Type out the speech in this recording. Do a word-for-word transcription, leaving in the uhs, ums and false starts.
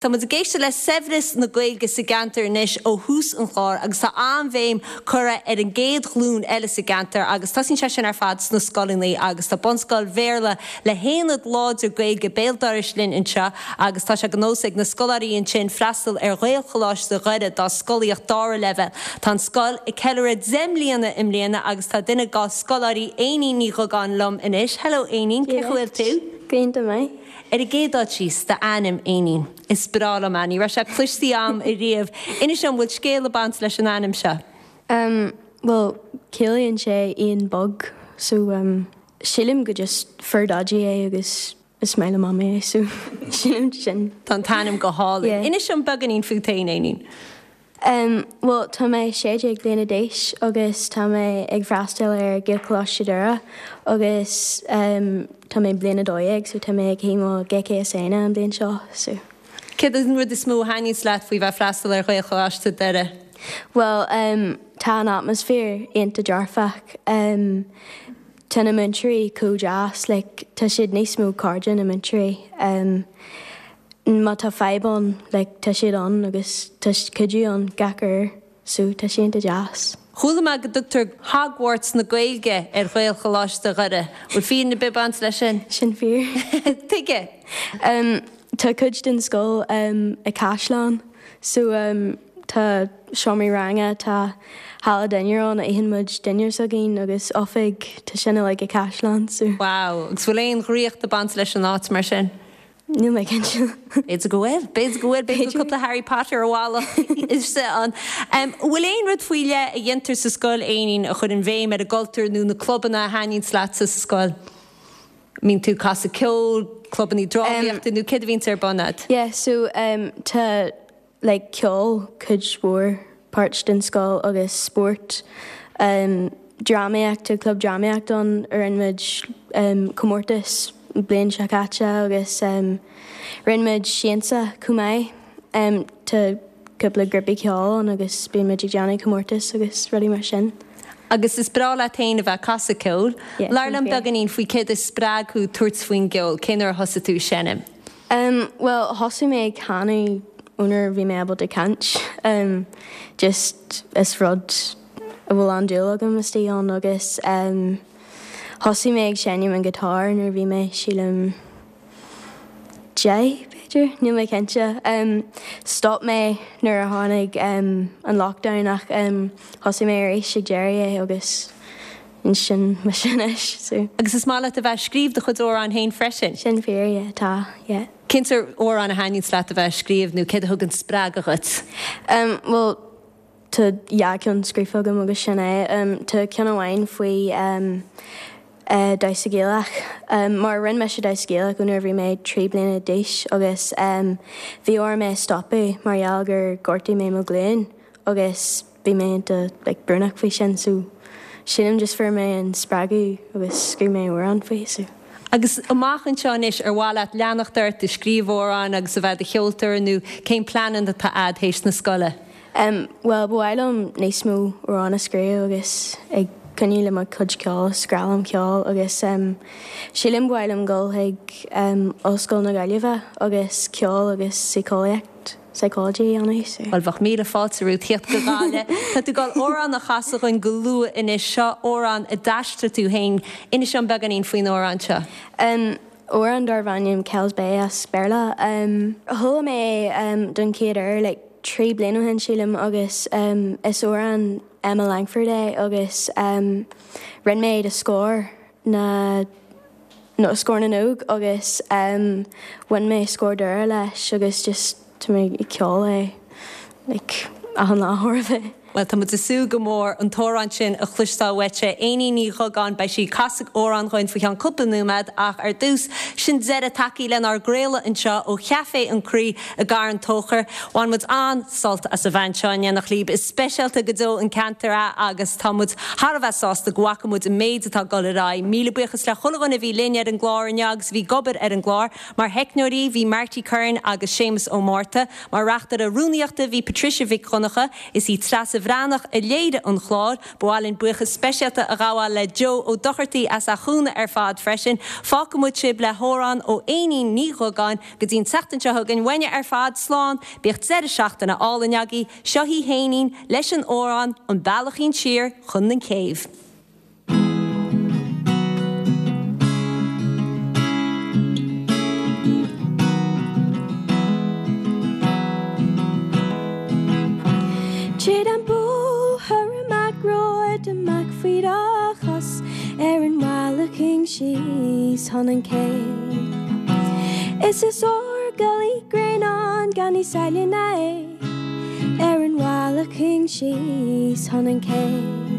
Tá muid ag éisteacht le saibhreas na Gaeilge sa gceantar anois ó thús an chláir agus tá an-bhéim curtha ar an gcéad ghlúin eile sa gceantar agus tosaíonn sé sin ar fad sna scoileanna agus tá bunscoil Bhéarla le haonad láidir Gaeilge béal dorais linn anseo agus tá sé de nós ag na scoláirí ansin freastal ar Ghaelcholáiste Dhoire dá scolaíocht dara leibhéal. Tá an scoil ag ceiliúradh deich mbliana i mbliana agus tá duine dá scoláirí Éinín Ní Dhugáin liom anois. Hello Éinín, cén chaoi a bhfuil tú? Go maith. Ar an gcéad dul síos d'ainm Éinín. Is breá liom é, ní raibh sé cloiste agam riamh. Inis dom bhfuil scéal ag baint leis an ainm seo. Um, well, ciallaíonn sé éan bog, so um, sílim go just fuair Daidí é agus is maith le Mamaí é, so sílim sin. Tá an t-ainm go hálainn. Yeah. Inis dom beagáinín fút féin Éinín. Um, well, tá mé sé déag bliana d'aois agus tá mé ag freastal ar Ghaelcholáiste Dhoire agus um, tá mé bliain a dó dhéag, so tá mé ag céim GCSE an bliain seo. So. Céard an rud is mó a thaitníonn leat faoi bheith freastal ar Ghaelcholáiste Dhoire? Well, um, tá an atmaisféar iontach dearfach. Um, tá na múinteoirí chomh deas, like, tá siad níos mó cairde na múinteoirí. Um, má tá fadhb ann, like, tá siad ann agus tá cuidiú ann gach uair, so tá sé iontach deas. Chuala mé go dtugtar Hogwarts na Gaeilge ar Ghaelcholáiste Dhoire. Bhfuil fírinne ag baint leis sin? Sin fíor. Tuige? Um, tá cuid den scoil um, i caisleán, so um, tá seomraí ranga tá halla dinnéir ann a itheann muid dinnéar s'againn agus oifig tá sin like i caisleán so. Wow, agus bhfuil aon dhraíocht ag baint leis an áit mar sin? Níl mé cinnte. B'fhéidir go bhfuil, b'fhéidir go bhfuil b'fhéidir cúpla Harry Potter amhála is an. Um, Bhfuil aon rud faoi leith a dhéantar sa scoil Éinín a chuireann béim ar an gcultúr nó na clubanna a thaitníonn leat sa scoil? Mbíonn tú ag casadh ceoil, clubanna drámaíochta nó céard a bhíonn ar bun agat? Yeah, so um, tá like, ceol cuid mhór páirt den scoil agus spórt. Um, drámaíocht tá club drámaíocht ann a rinne muid um, comórtas bliain seo caite agus um, rinne muid siansa chomh maith. Um, tá cúpla grúpaí ceoil ann agus bíonn muid ag déanamh comórtas agus rudaí mar sin. Agus is breá leat féin a bheith ag casadh ceoil. Yeah, Labhair liom sin fíor. beagáinín faoi céard a spreag thú tabhairt faoin gceol, cén uair a thosaigh tú seinm. Um, well, thosaigh mé ag canadh nuair bhí mé ábalta caint. Um, just is rud a bhfuil an-dúil agam istigh ann agus um, thosaigh mé ag seinm an guitar nuair bhí mé sílim deich b'fhéidir, níl mé cinnte. Um, stop mé nuair a tháinig um, an lockdown ach um, thosaigh mé arís ag deireadh é agus ansin mar sin anois. So. Agus is maith leat a bheith ag scríobh do chuid amhrán féin freisin. Sin fíor, yeah, tá, yeah. Cén sórt amhrán a thaitníonn leat a bheith ag scríobh nó céard a thugann spreagadh dhuit. Um, well, tá dhá cheann scríofa agam agus sin é. Um, tá ceann amháin faoi um, uh, damhsa Gaelach. Um, mar rinne mise damhsa Gaelach nuair bhí mé trí bliana d'aois agus um, bhí orm é stopadh mar gheall gur ghortaigh mé mo ghlúin agus bhí mé iontach like, brónach faoi sin so sílim just fuair mé an spreagadh agus scríobh mé amhrán faoi so. Agus amach anseo anois ar mhaith leat leanacht ort ag scríobh amhrán agus a bheith i do cheoltóir nó cén plean atá agat théis na scoile. Um, well, ba mhaith liom níos mó amhrán a scríobh agus ag coinneáil le mo chuid ceoil, is grá liom ceol agus um, sílim ba mhaith liom dul chuig um, Ollscoil na Gaillimhe agus ceol agus síceolaíocht psychology anna so. Well bheadh míle fáilte romhat teacht go Gaillimh. Tá tú ag dul amhrán a chasadh dúinn go luath anois seo amhrán a d'aistrigh tú féin inis dom beagáinín faoin amhrán seo. Um, amhrán darb ainm Kells Bay as Béarla. Um, Chuala mé um, don chéad uair like, trí bliana ó shin sílim agus um, is amhrán Emma Langford é agus um, rinne mé do Scór na no Scór na nÓg agus um, bhain mé Scór Doire leis agus just tá mé ag ceol é like, achan lá chóir a bheith. Well tá muid ag súil go mór an t-amhrán sin a chloisteáil uait Éinín Ní Dhugáin beidh sí ag casadh amhrán dúinn faoi cheann cúpla nóiméad ach ar dtús sin deireadh tagtha lenár gcraoladh anseo ó Chaifé an Chroí i gCarn Tóchair. Bhain muid an-sult as a bheith anseo in éineacht libh is speisialta go deo an ceantar é agus tá muid thar a bheith sásta go bhfaca muid an méid atá ag dul ar aghaidh. Míle buíochas le chuile dhuine a bhí linn ar an gclár inniu agus bhí ag obair ar an gclár, mar theicneoirí bhí Marty Curran agus Séamus Ó Márta, mar reachtaire rúnaíochta bhí Patricia Mhic Dhonncha is í Treasa Neasa Bhreathnach a léirigh an clár, ba mhaith linn buíochas speisialta a ghabháil le Joe Ó Dochartaí as a chúnamh ar fad freisin. Fágfaimid sibh le hamhrán ó Éinín Ní Dhugáin go dtí an tseachtain seo chugainn uainne ar fad slán, bíodh deireadh seachtaine álainn agaibh, seo í hÉinín leis an amhrán an bealachín siar chun an céibh. Tríd an bóthar amach romhat amach faoi do chos ar an mbealachín síos chun an cé. Is is ór gully grain gan ní saile é ar an bhealachín síos chun an cé.